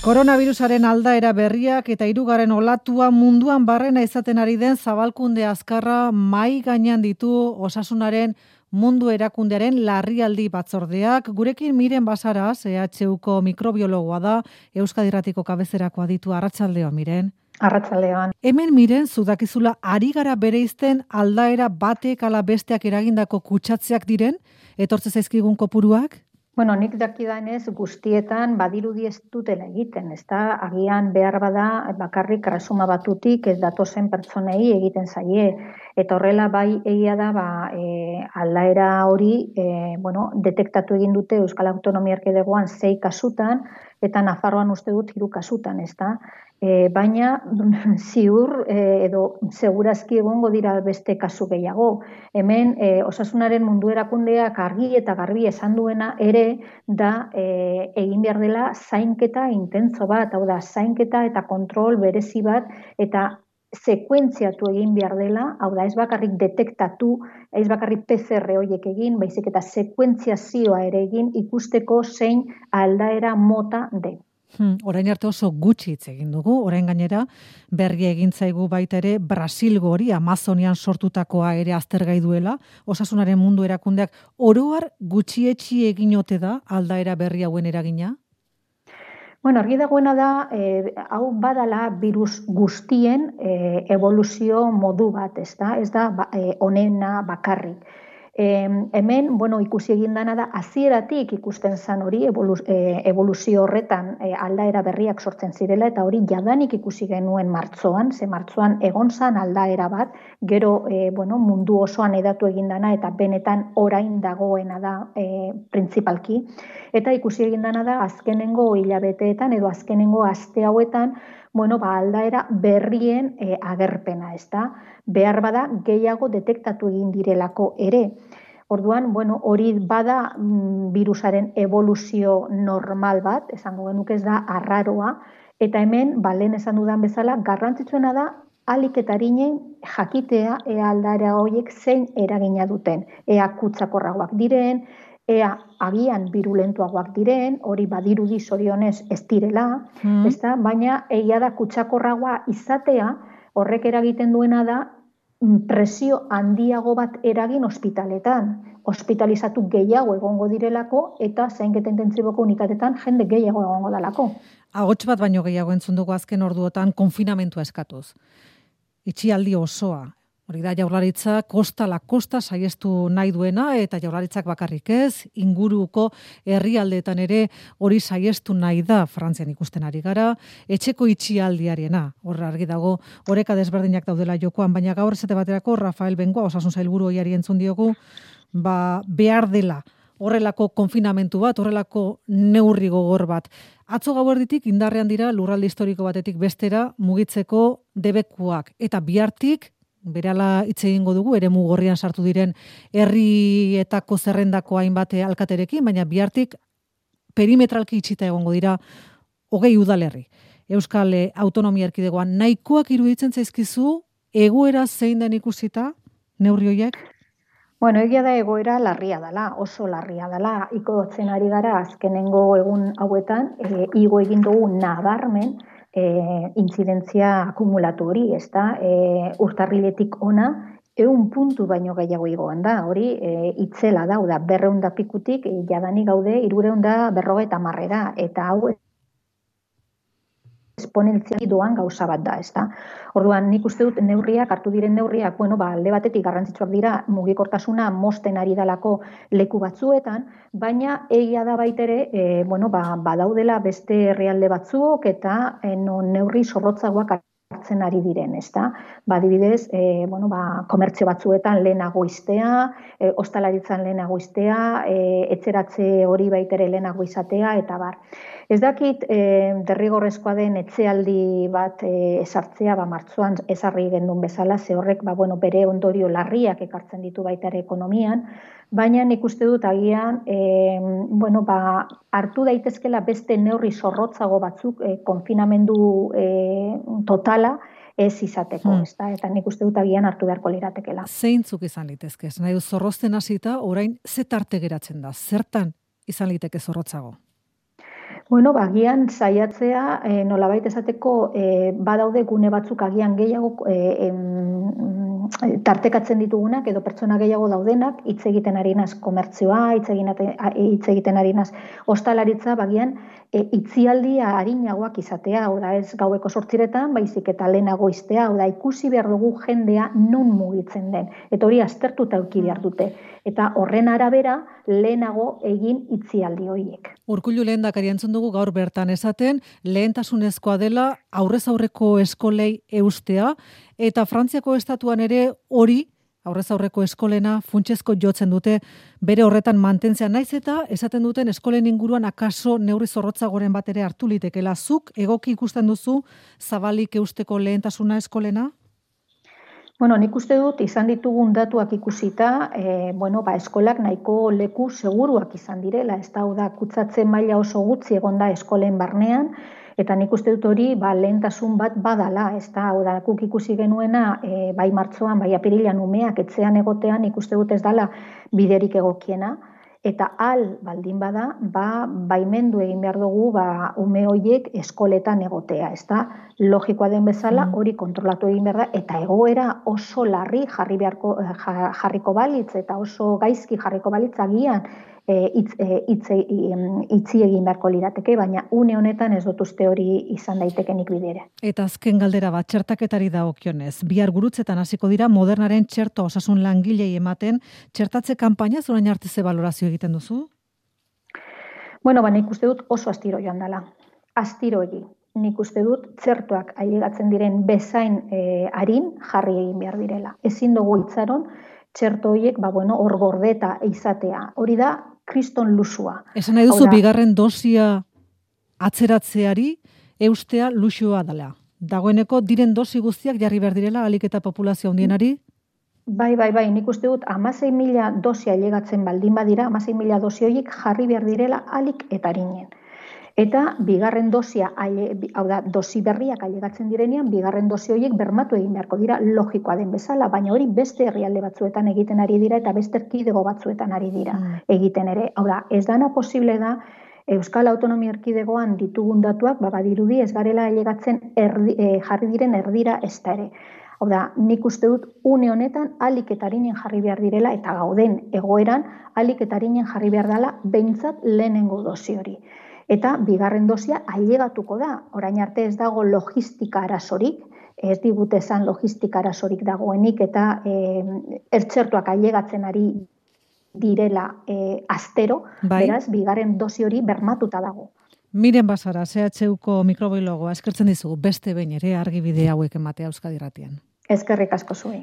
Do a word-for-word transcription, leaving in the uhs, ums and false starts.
Koronavirusaren aldaera berriak eta hirugarren olatua munduan barrena izaten ari den zabalkunde azkarra mai gainean ditu Osasunaren mundu erakundearen larrialdi batzordeak. Gurekin Miren Basaras, E H Uko mikrobiologoa da, Euskadi Irratiko kabezerakoa ditu. Arratsaldeon, Miren. Arratsaldeon. Hemen Miren, zudakizula ari gara bereizten aldaera batek ala besteak eragindako kutsatzeak diren, etortze zaizkigun kopuruak? Bueno, nik dakidanez guztietan badirudi ez dutela egiten, ezta? Agian behar bada bakarrik erresuma batutik ez datozen pertsonei egiten zaie. Eta horrela bai egia da ba, e, aldaera hori e, bueno, detektatu egin dute Euskal Autonomia Erkidegoan sei kasutan eta Nafarroan uste dut hiru kasutan, ezta? E, baina ziur e, edo segurazki egongo dira beste kasu gehiago. Hemen e, Osasunaren mundu erakundeak argi eta garbi esan duena ere da e, egin behar dela zainketa intentso bat, hau da zainketa eta kontrol berezi bat eta sekuentziatu egin behar dela, hau da ez bakarrik detektatu, ez bakarrik P C R horiek egin, baizik eta sekuentziazioa ere egin ikusteko zein aldaera mota den. Hmm, orain arte oso gutxi hitz egin dugu, orain gainera berri egin zaigu baita ere Brasilgo hori Amazonian sortutakoa ere aztergai duela, Osasunaren mundu erakundeak oroar gutxietxi egin ote da aldaera berri hauen eragina? Bueno, argi dagoena da, eh, hau badala virus guztien eh, evoluzio modu bat, ez da, ez da ba, eh, onena bakarrik. E, hemen, bueno, ikusi egin dana da, hasieratik ikusten zan hori evoluz, e, evoluzio horretan e, aldaera berriak sortzen zirela, eta hori jadanik ikusi genuen martzoan, ze martzoan egon zan aldaera bat, gero e, bueno, mundu osoan edatu egin dana, eta benetan orain dagoena da e, principalki, eta ikusi egin dana da, azkenengo hilabeteetan edo azkenengo aste hauetan, bueno, ba, aldaera berrien e, agerpena, ez da? Behar bada gehiago detektatu egin direlako ere. Orduan, bueno, hori bada mm, virusaren evoluzio normal bat, esango genuke ez da arraroa, eta hemen, ba, lehen esan dudan bezala, garrantzitsuena da ahalik eta arinen jakitea ea aldaera horiek zein eragina duten. Ea kutsakorragoak diren, ea agian virulentuagoak diren, hori badirudi zorionez ez direla, mm. ezta? Baina egia da kutsakorragoa izatea, horrek eragiten duena da presio handiago bat eragin ospitaletan. Hospitalizatu gehiago egongo direlako eta zainketa intentsiboko unitatetan jende gehiago egongo dalako. Ahots bat baino gehiago entzun dugu azken orduotan konfinamentua eskatuz. Itxialdi osoa. Hori da Jaurlaritza kosta la kosta saiestu nahi duena eta Jaurlaritzak bakarrik ez, inguruko herrialdeetan ere hori saiestu nahi da Frantzian ikusten ari gara, etxeko itxialdiarena. Hor argi dago, oreka desberdinak daudela jokoan, baina gaur esate baterako Rafael Bengoa Osasun Sailburu ohiari entzun diogu, ba behar dela horrelako konfinamentu bat, horrelako neurri gogor bat. Atzo gauerditik indarrean dira lurralde historiko batetik bestera mugitzeko debekuak eta bihartik berala hitz egingo dugu, eremu gorrian sartu diren herrietako zerrendako hainbat alkaterekin, baina bihartik perimetralki itxita egongo dira hogei udalerri. Euskal Autonomia Erkidegoan nahikoak iruditzen zaizkizu egoera zein den ikusita neurri horiek? Bueno, egia da egoera larria dela, oso larria dela. Ikotzen ari gara azkenengo egun hauetan, e, igo egin dugu nabarmen, E, intzidentzia akumulatu hori, ez da, e, urtarriletik ona, ehun puntu baino gehiago igoan da, hori e, itzela da, da berreun da pikutik, e, jadanik gaude, irureun da berrogeita marrera, eta hau esponentziali doan gauza bat da, ez da. Orduan, nik uste dut neurriak, hartu diren neurriak, bueno, ba, alde batetik garrantzitsuak dira, mugikortasuna mosten ari dalako leku batzuetan, baina egia da baitere, e, bueno, ba, badaudela beste herrialde batzuk eta e, no, neurri zorrotzagoak hartzen ari diren, ezta? Ba, adibidez, e, bueno, ba, komertzio batzuetan lehenago iztea, e, ostalaritzan lehenago iztea, e, etxeratze hori baitere lehenago izatea, eta bar. Ez dakit, e, derrigorrezkoa den etxealdi bat e, esartzea, ba, martzoan ezarri gendun bezala, ze horrek, ba, bueno, bere ondorio larriak ekartzen ditu baita ere ekonomian, baina nik uste dut agian, e, bueno, ba, hartu daitezkela beste neurri zorrotzago batzuk e, konfinamendu e, totala ez izateko, hmm. ezta? Eta nik uste dut agian hartu beharko liratekela. Zeintzuk izan litezke? Nahi du zorrozten hasita, orain ze tarte geratzen da? Zertan izan liteke zorrotzago? Bueno, bagian saiatzea, e, nolabait esateko, e, badaude gune batzuk agian gehiago e, em, tartekatzen ditugunak edo pertsona gehiago daudenak, hitz egiten ari naz komertzioa, hitz hitz egiten ari naz ostalaritza, bagian e, itzialdia arinagoak izatea, oda ez gaueko sortziretan, baizik eta lehenago iztea, oda ikusi behar dugu jendea non mugitzen den, eta hori aztertuta eduki behar dute, eta horren arabera lehenago egin itzialdi horiek. Urkullu lehendakari entzun dugu gaur bertan esaten, lehentasunezkoa dela aurrez aurreko eskolei eustea, eta Frantziako estatuan ere hori, aurrez aurreko eskolena, funtsezko jotzen dute, bere horretan mantentzea naiz eta esaten duten eskolen inguruan akaso neurri zorrotzagoren bat ere hartu litekela. Zuk egoki ikusten duzu zabalik eusteko lehentasuna eskolena? Bueno, nik uste dut izan ditugun datuak ikusita, e, bueno, ba, eskolak nahiko leku seguruak izan direla, ez da, da kutsatze maila oso gutxi egonda eskolen barnean, eta nik uste dut hori ba, lehentasun bat badala, ez da, da guk ikusi genuena, e, bai martxoan, bai apirilan umeak etxean egotean, nik uste dut ez dala biderik egokiena, eta al baldin bada, ba, baimendu egin behar dugu ba, ume horiek eskoletan egotea, ez da, logikoa den bezala hori kontrolatu egin behar da, eta egoera oso larri jarri beharko, jarriko balitz, eta oso gaizki jarriko balitz agian e, itz, e, itz, e, itzi egin beharko lirateke, baina une honetan ez dut uste hori izan daitekenik bidere. Eta azken galdera bat, txertaketari dagokionez. Bihar gurutzetan hasiko dira modernaren txerto osasun langilei ematen, txertatze kanpaina zorain arte ze balorazio egiten duzu? Bueno, ba, nik uste dut oso astiro joan dela. Astiro egi. Nik uste dut txertoak ailegatzen diren bezain e, arin jarri egin behar direla. Ezin dugu itzaron, txerto horiek, ba, bueno, hor gordeta izatea. Hori da, kriston lusua. Esan nahi duzu, bigarren dosia atzeratzeari eustea luxua dela. Dagoeneko diren dosi guztiak jarri behar direla alik eta populazio handienari? Bai, bai, bai, nik uste dut hamasei mila dosi ailegatzen baldin badira, hamasei mila dosi horiek jarri behar direla alik eta arinen. Eta bigarren dosia, hau da, dosi berriak ailegatzen direnean, bigarren dosi horiek bermatu egin beharko dira logikoa den bezala, baina hori beste herrialde batzuetan egiten ari dira eta beste erkidego batzuetan ari dira egiten ere. Hau da, ez dana posible da, Euskal Autonomia Erkidegoan ditugun datuak, ba, badirudi ez garela ailegatzen erdi, e, jarri diren erdira ez da ere. Hau da, nik uste dut une honetan alik eta arinen jarri behar direla eta gauden egoeran alik eta arinen jarri behar dela behintzat lehenengo dosi hori. Eta bigarren dosia ailegatuko da. Orain arte ez dago logistika arazorik, ez digute esan logistika arazorik dagoenik eta e, ertxertuak ailegatzen ari direla e, astero, bai. Beraz, bigarren dosi hori bermatuta dago. Miren Basara, C H Uko mikrobiologoa, eskertzen dizugu beste behin ere argibide hauek ematea Euskadi Irratian. Eskerrik asko zuei.